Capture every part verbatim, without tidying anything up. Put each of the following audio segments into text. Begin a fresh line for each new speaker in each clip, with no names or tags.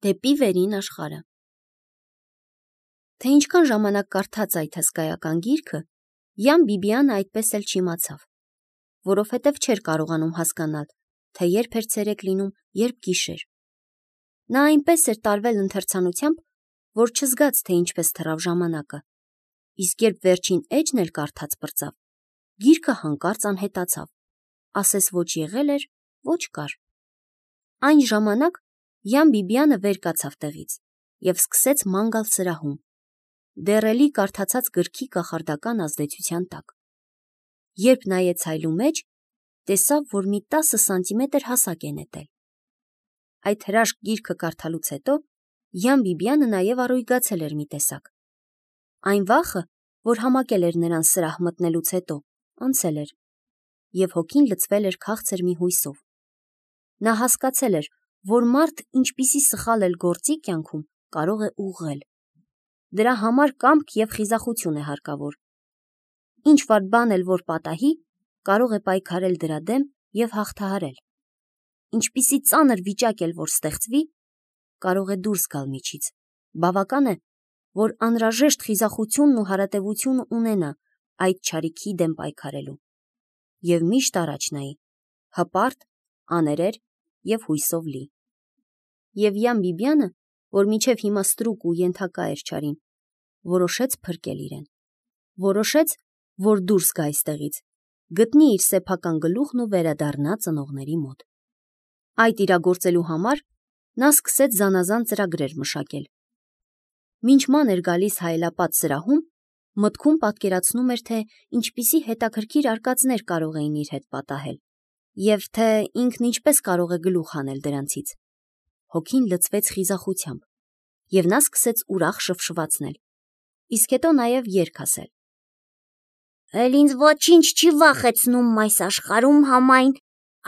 Դեպի վերին աշխարհը։ Թե ինչքան ժամանակ կարդաց այդ հսկայական գիրքը, Յան Բիբիանը այդպես էլ չիմացավ, որովհետև չէր կարողանում հասկանալ, թե երբ էր ցերեկ լինում, երբ գիշեր։ Նա այնպես էր տարվել ընթերցանությամբ, որ չզգաց, թե ինչպես թռավ ժամանակը, իսկ երբ վերջին էջն էլ կարդաց պրծավ, գիրքը հանկարծ անհետացավ, ասես ոչ եղել էր, ոչ կար։ Այն ժամանակ Յան Բիբիանը վեր կացավ տեղից և սկսեց ման գալ սրահում, դեռ էլի կարդացած գրքի կախարդական ազդեցության տակ։ Երբ նայեց հայլու մեջ, տեսավ, որ մի տասը սանտիմետր հասակ է նետել։ Այդ հրաշք գիրքը կարդալուց հետո Յան Բիբիանը նաև առույգացել էր մի տեսակ։ Այն վախը, որ համակել էր նրան սրահ մտնելուց հետո, անցել էր, և հոգին լցվել էր քաղցր մի հույսով։ Նա հասկացել էր, որ մարդ ինչպիսի սխալ էլ գործի կյանքում կարող է ուղղել։ Դրա համար կամք և խիզախություն է հարկավոր։ Ինչ վատ բան էլ որ պատահի, կարող է պայքարել դրա դեմ և հաղթահարել։ Ինչպիսի ծանր վիճակ էլ որ ստեղծվի, կարող է դուրս գալ միջից։ Բավական է, որ անհրաժեշտ խիզախությունն ու հարատևությունը ունենա այդ չարիքի դեմ պայքարելու։ Եվ միշտ առաջ նայի, հպարտ, աներեր և հույսով լի։ Եվ Յան Բիբիանը, որ մինչև հիմա ստրուկ ու ենթակա էր չարին, որոշեց փրկել իրեն։ Որոշեց, որ դուրս գա այստեղից, գտնի իր սեփական գլուխն ու վերադառնա ծնողների մոտ։ Այդ իրագործելու համար նա սկսեց զանազան ծրագրեր մշակել։ Մինչ ման էր գալիս հայելապատ սրահում, մտքում պատկերացնում էր, թե ինչպիսի հետաքրքիր արկածներ կարող էին իր հետ պատահել, և թե ինքն ինչպես կարող է գլուխ հանել դրանցից։ Հոգին լցվեց խիզախությամբ, և նա սկսեց ուրախ շվշվացնել, իսկ հետո նաև երգ ասել. «Էլ ինձ ոչինչ չի վախեցնում այս աշխարհում համայն,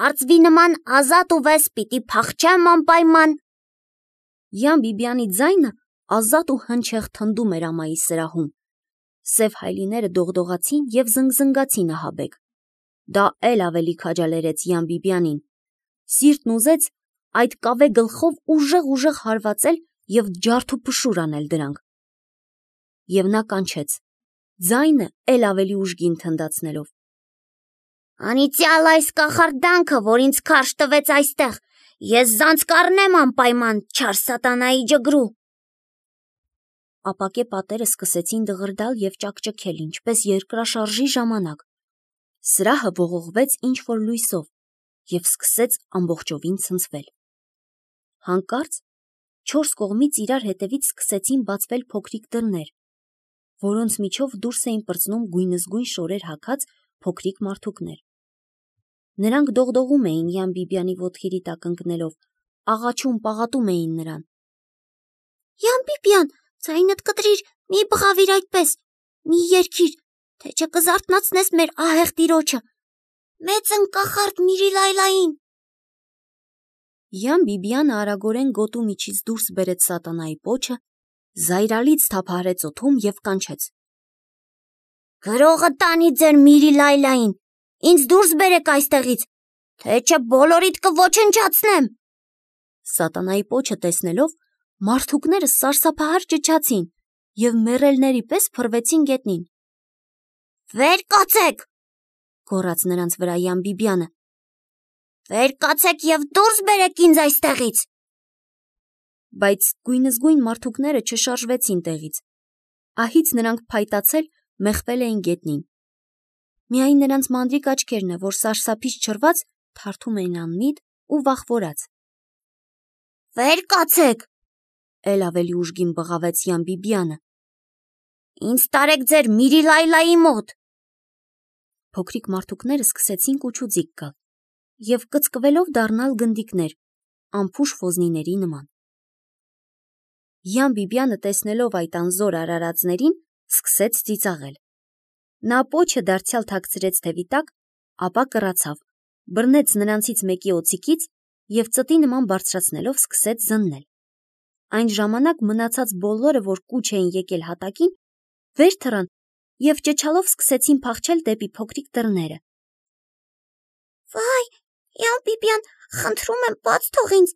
արծվի նման ազատ ու վես պիտի փախչեմ անպայման»։ Յան Բիբիանի ձայնը ազատ ու հնչեղ թնդում էր ամայի սրահում, սև հայլիները դողդողացին և զնգզնգացին ահաբեկ։ Դա էլ ավելի քաջալերեց Յան Բիբիանին։ Սիրտն ուզեց այդ կավե գլխով ուժեղ-ուժեղ հարվածել և ջարդուփշուր անել դրանք։ Եվ նա կանչեց, ձայնը էլ ավելի ուժգին թնդացնելով. «Անիծյալ այս կախարդանքը, որ ինձ քարշ տվեց այստեղ, ես զանց կառնեմ անպայման չար սատանայի ջգրու»։ Ապակե պատերը սկսեցին դղրդալ և ճաքճքել, ինչպես երկրաշարժի ժամանակ։ Սրահը ողողվեց ինչ-որ լույսով և սկսեց ամբողջովին ցնցվել։ Հանկարծ չորս կողմից իրար հետևից սկսեցին բացվել փոքրիկ դռներ, որոնց միջով դուրս էին պրծնում գույնզգույն շորեր հագած փոքրիկ մարդուկներ։ Նրանք դողդողում էին Յան Բիբիանի ոտքերի տակ ընկնելով, աղաչում, պաղատում էին նրան։ «Յան Բիբիան, ձայնդ կտրիր, մի բղավիր այդպես, մի երգիր, թե չէ կզարթնացնես մեր ահեղ տիրոջը, մեծն կախարդ Միրիլայլային»։ Յան Բիբիանը արագորեն գոտու միջից դուրս բերեց սատանայի պոչը, զայրալից թափահարեց օդում և կանչեց. «Գրողը տանի ձեր Միրիլայլային, ինձ դուրս բերեք այստեղից, թե չէ բոլորիդ կոչնջացնեմ»։ Սատանայի պոչը տեսնելով, մարդուկները սարսափահար ճչացին և մեռելների պես փռվեցին գետնին։ «Վեր կացեք», գոռաց նրանց վրա Յան Բիբիանը, «վեր կացեք և դուրս բերեք ինձ այստեղից»։ Բայց գույնզգույն մարդուկները չշարժվեցին տեղից։ Ահից նրանք փայտացել, մեխվել էին գետնին։ Միայն նրանց մանրիկ աչքերն է, որ սարսափից չռված, թարթում էին անմիտ ու վախվորած։ «Վեր կացեք», էլ ավելի ուժգին բղավեց Յան Բիբիանը, «ինձ տարեք ձեր Միրիլայլայի մոտ»։ Փոքրիկ մարդուկները սկսեցին կուչուձիգ գալ և կծկվելով դառնալ գնդիկներ, անփուշ ոզնիների նման։ Յան Բիբիանը տեսնելով այդ անզոր արարածներին, սկսեց ծիծաղել։ Նա պոչը դարձյալ թաքցրեց թևի տակ, ապա կռացավ, բռնեց նրանցից մեկի օձիքից և ծտի նման բարձրացնելով սկսեց զննել։ Այն ժամանակ մնացած բոլորը, որ կուչ էին եկել հատակին, վեր թռան և ճչալով սկսեցին փախչել դեպի փոքրիկ դռները։ «Վայ, Յան Բիբիան, խնդրում եմ, բաց թող ինձ,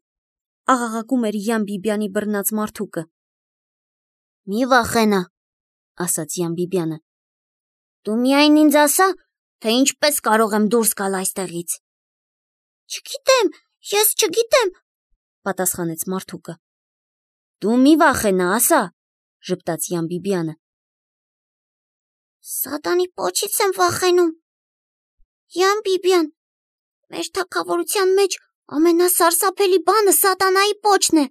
աղաղակում էր Յան Բիբյանի բռնած մարդուկը։ Մի վախենա, ասաց Յան Բիբյանը։ Դու միայն ինձ ասա, թե ինչպես կարող եմ դուրս գալ այստեղից։ Չգիտեմ, ես չգիտեմ, պատասխանեց մարդուկը։ Դու մի վախենա, ասա, ժպտաց Յան Բիբյանը։ Սատանի պոչից եմ վախենում։ Յան Բիբյան, մեր թագավորության մեջ ամենասարսափելի բանը սատանայի պոչն է։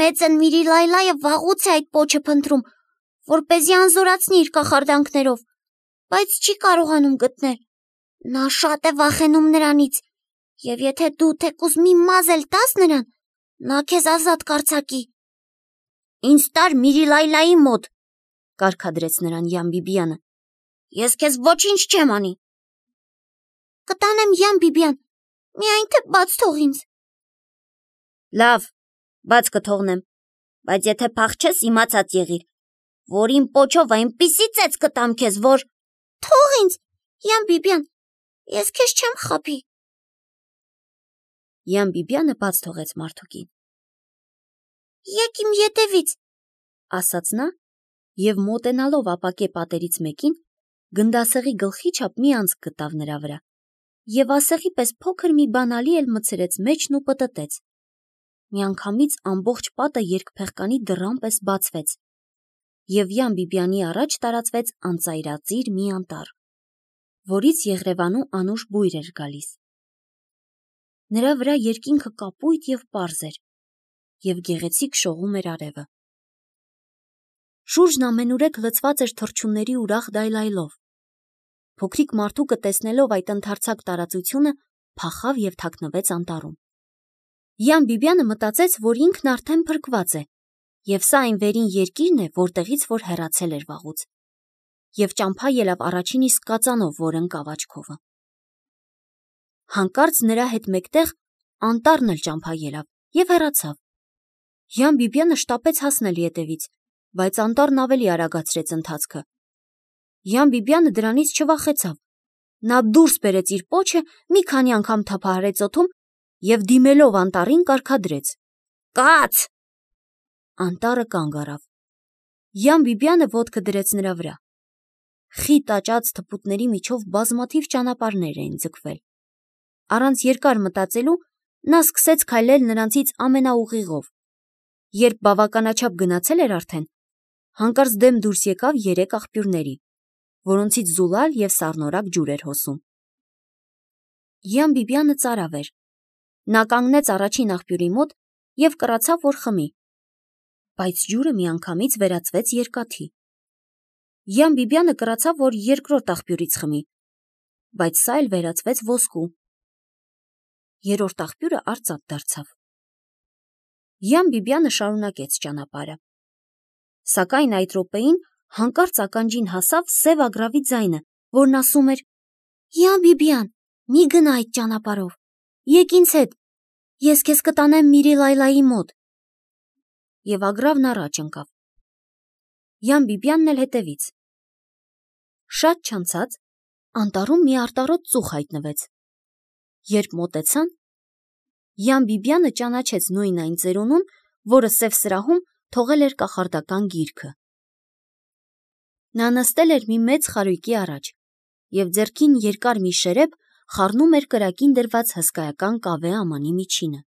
Մեծն Միրիլայլայը վաղուց է այդ պոչը փնտրում, որպեսզի անզորացնի իր կախարդանքներով, բայց չի կարողանում գտնել։ Նա շատ է վախենում նրանից, եւ եթե դու թեկուզ մի մազ էլ տաս նրան, նա քեզ ազատ կարձակի։ Ինձ տար Միրիլայլայի մոտ, կարգադրեց նրան Յան Բիբյանը։ Ես քեզ ոչինչ չեմ անի։ Կտանեմ, Յան Բիբյան, միայն թե բաց թող ինձ։ Լավ, բաց կթողնեմ, բայց եթե փախչես, իմացած եղիր, որ իմ պոչով այնպիսի ծեծ կտամ քեզ, որ… Թող ինձ, Յան Բիբյան, ես քեզ չեմ խաբի։ Յան Բիբյանը բաց թողեց մարդուկին։ Եկ իմ ետևից, ասաց նա, եւ մոտենալով ապակե պատերից մեկին, գնդասեղի գլխի չափ մի անցք գտավ նրա վրա, եւ ասեղի պես փոքր մի բանալի էլ մցրեց մեջն ու պտտեց։ Միանգամից ամբողջ պատը երկփեղկանի դռան պես բացվեց, եւ Յան Բիբյանի առաջ տարածվեց անծայրածիր մի անտառ, որից Եղրևանու անուշ բույր էր գալիս։ Նրա վրա երկինքը կապույտ եւ պարզ էր, եւ գեղեցիկ շողում էր արևը։ Շուրջն ամենուրեք լցված էր թռչունների ուրախ դայլայլով։ Փոքրիկ մարդուկը տեսնելով այդ ընդարձակ տարածությունը, փախավ եւ թաքնվեց անտառում։ Յան Բիբյանը մտածեց, որ ինքն արդեն փրկված է, եւ սա այն վերին երկիրն է, որտեղից որ հեռացել էր վաղուց, եւ ճամփա ելավ առաջին իսկ կածանով, որ ընկավ աչքովը։ Հանկարծ նրա հետ մեկտեղ անտառն էլ ճամփա ելավ եւ հեռացավ։ Յան Բիբյանը շտապեց հասնել ետևից, բայց անտառն ավելի արագացրեց ընթացքը։ Յան Բիբյանը դրանից չվախեցավ։ Նա դուրս բերեց իր պոչը, մի քանի անգամ թափահարեց օդում եւ դիմելով անտառին կարգադրեց. Կաց! Անտառը կանգ առավ։ Յան Բիբյանը ոտքը դրեց նրա վրա։ Խիտ աճած թփուտների միջով բազմաթիվ ճանապարհներ էին ձգվել։ Առանց երկար մտածելու նա սկսեց քայլել նրանցից ամենաուղիղով։ Երբ բավականաչափ գնացել էր արդեն, հանկարծ դեմ դուրս եկավ երեք աղբյուրների, որոնցից զուլալ եւ սառնորակ ջուր էր հոսում։ Յան Բիբյանը ծարավ էր։ Նա կանգնեց առաջին աղբյուրի մոտ եւ կռացավ, որ խմի, բայց ջուրը միանգամից վերածվեց երկաթի։ Յան Բիբյանը կռացավ, որ երկրորդ աղբյուրից խմի, բայց սա էլ վերածվեց ոսկու։ Երրորդ աղբյուրը արծաթ դարձավ։ Յան Բիբյանը շարունակեց ճանապարհը։ Սակայն այդ րոպեին հանկարծ ականջին հասավ սև ագռավի ձայնը, որն ասում էր. Յան Բիբյան, մի գնա այդ ճանապարհով, եկ ինձ հետ, ես քեզ կտանեմ Միրիլայլայի մոտ։ Եվ ագռավն առաջ ընկավ։ Յան Բիբյանն էլ հետևից։ Շատ չանցած անտառում մի արտառոտ ծուխ հայտնվեց։ Երբ մոտեցան, Յան Բիբյանը ճանաչեց նույն այն ծերունուն, որը սև սրահում թողել էր կախարդական գիրքը։ Նա նստել էր մի մեծ խարույկի առաջ եւ ձեռքին երկար մի շերեփ խառնում էր կրակին դրված հսկայական կավե ամանի միջինը։